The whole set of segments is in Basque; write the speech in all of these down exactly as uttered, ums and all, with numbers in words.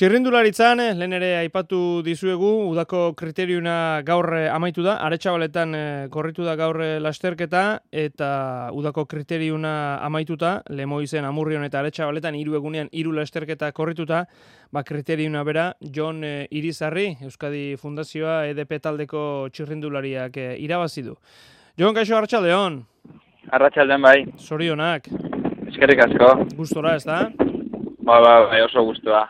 Txirrindularitzan, lehen ere aipatu dizuegu, udako kriteriuna gaur amaitu da, Aretxabaletan korritu da gaur lasterketa, eta udako kriteriuna amaituta, Lemoizen, Amurrion eta Aretxabaletan hiru egunean hiru lasterketa korrituta, ba kriteriuna bera, Jon Irizarri, Euskadi Fundazioa E D P taldeko txirrindulariak irabazi du. Jon, kaixo, arratsaldeon. Arratsaldeon bai. Zorionak. Eskerrik asko. Gustora, ez da? Ba, ba, bai, oso gustua.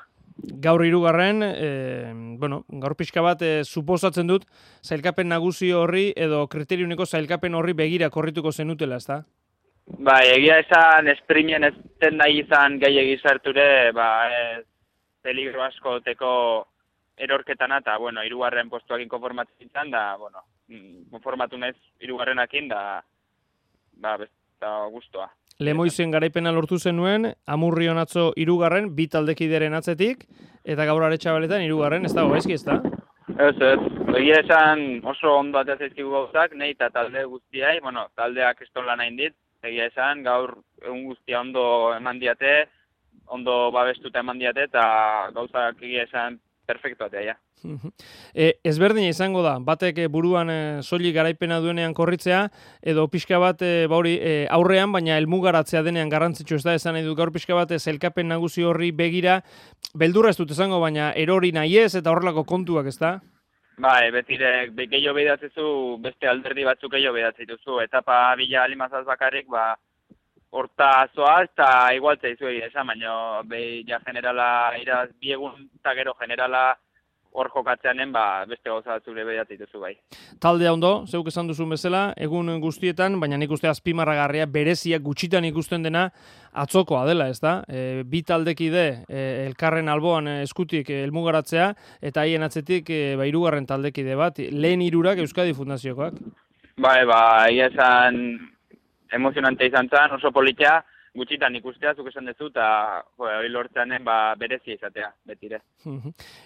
Gaur hirugarren, e, bueno, gaur pixka bat e, suposatzen dut zailkapen nagusi horri edo kriteriuneko zailkapen horri begira korrituko zenutela, ezta? Ba, egia esan esprimien ez zen nahi izan gehiegi sarture, ba, ez peligro asko teko erorketana, eta, bueno, hirugarren postuakin konformatzen izan, da, bueno, konformatu naiz hirugarrenakin, da, ba, besta gustua. Lemoizen garaipena lortu zenuen, Amurrion atzo hirugarren, bi taldekideren atzetik, eta gaur Aretxabaletan hirugarren, ez dago gaizki, ez da? Ez, ez. Egia esan oso ondo atea zaizkigu gauzak, nahi eta talde guztiai, bueno, taldeak estola nahi dit, egia esan gaur egun guztia ondo eman diate, ondo babestuta eman diate, eta gauzak egia esan perfektu atea, ja. E, ezberdina izango da, batek buruan e, soilik garaipena duenean korritzea, edo pixka bat e, bauri, e, aurrean, baina helmugaratzea denean garrantzitsu ez da, esan nahi dut gaur pixka bat zailkapen nagusi horri begira, beldurra ez dut esango, baina erori nahi ez eta horrelako kontuak, ez da? Bai, betirek, gehiago behidatzezu, beste alderdi batzuk gehiago behidatzituzu, etapa bila alimazaz bakarrik, ba, horta zoaz, eta igualtzea izu egia esan, baina behi ja generala, iraz, biegun eta gero generala, hor jokatzeanen, ba, beste gauza batzure behiatzituzu bai. Taldea ondo, zeuk esan duzun bezala, egun guztietan, baina nik uste azpimarragarria bereziak gutxitan ikusten dena atzokoa dela, ez da? E, bi taldekide e, elkarren alboan eskutik helmugaratzea, eta haien atzetik e, ba, hirugarren taldekide bat, lehen hirurak Euskadi Fundaziokoak. Bai, ba, egia esan emozionante izan zen, oso politia, gutxitan ikustea, zuk esan dezu, eta hori lortzeanen ba, berezia izatea, betire.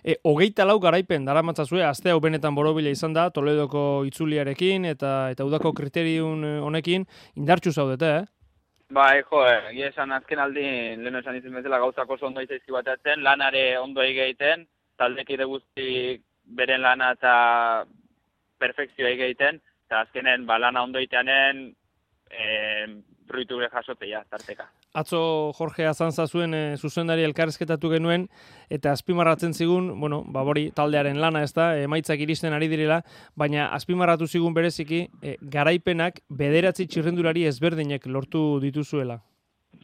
e, hogeita lau garaipen, dara matzazue, azte hau benetan borobila izan da, Toledoko itzuliarekin, eta eta udako kriteriun honekin, indartxu zaudete, eh? Bai, jo, egia esan azken aldi, leheno esan izan bezala gauzak oso ondo izaizki bateatzen, lanare ondo egiten, taldekide guzti beren lana eta perfekzioa egiten, eta azkenen ba, lana ondo egiteanen, eh, fruitu gure jasotea, tarteka. Atzo Jorge Azanza zuen e, zuzendari elkarrezketatu genuen, eta azpimarratzen zigun, bueno, babori taldearen lana ez da, emaitzak iristen ari direla, baina azpimarratu zigun bereziki, e, garaipenak bederatzi txirrendulari ezberdinek lortu dituzuela.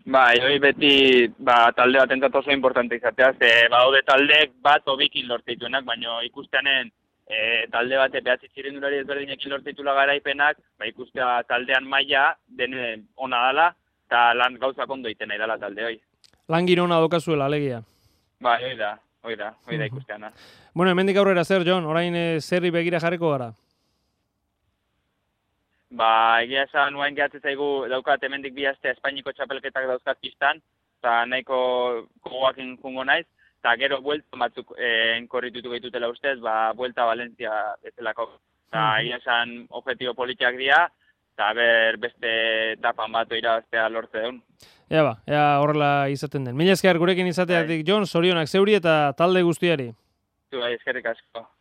Bai, hori beti ba, talde bat entzat oso importante izatea, ze baude taldeek bat obikin lortituenak, baina ikusteanen E, talde bate behatzi txirrindulari ezberdinekin lortitula garaipenak, ba, ikustea taldean maila dene ona dala, eta lan gauzak ondo iten nahi dala talde hoi. Lan giro ona dokazuela, alegia. Ba, hoi da, hoi da, hoi da ikusteana. Bueno, hemendik aurrera zer, Jon, orain e, zerri begira jarriko gara? Ba, egia esan nuen gehatzen zaigu daukat hemendik bi aste Espainiko txapelketak dauzkat pistan, eta nahiko gogoakin jungo naiz, eta gero buelta batzuk eh, enkorritutu gehitutela ustez, ba, buelta Valencia bezalako. Eta egia esan objektibo politiak dira, eta ber beste etapan bat irabaztea lortze duen. Ea ba, ea horrela izaten den. Mila esker gurekin izateatik, Jon, zorionak zeuri eta talde guztiari. Zu, eskerrik asko.